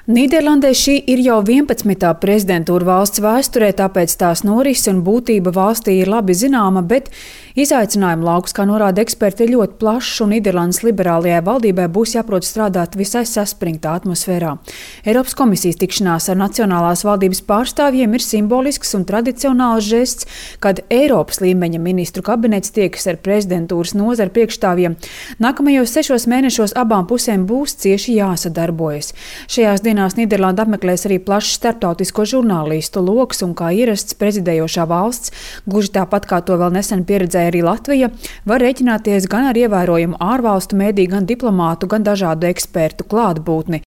Nīderlandē šī ir jau 11. prezidentūra valsts vēsturē, tāpēc tās norises un būtība valstī ir labi zināma, bet izaicinājumu lauks, kā norāda eksperti, ir ļoti plašs, un Nīderlandes liberālajai valdībai būs jāprot strādāt visai saspringtā atmosfērā. Eiropas komisijas tikšanās ar nacionālās valdības pārstāvjiem ir simbolisks un tradicionāls žests, kad Eiropas līmeņa ministru kabinets tiekas ar prezidentūras nozaru priekšstāvjiem. Nākamajos 6 mēnešos abām pusēm būs cieši jāsadarbojas. Šajās dienās Nīderlanda apmeklēs arī plašs starptautisko žurnālistu loks, un kā ierasts prezidējošā valsts, gluži tāpat kā to vēl nesen pieredzēja arī Latvija, var rēķināties gan ar ievērojumu ārvalstu mēdīju, gan diplomātu, gan dažādu ekspertu klātbūtni.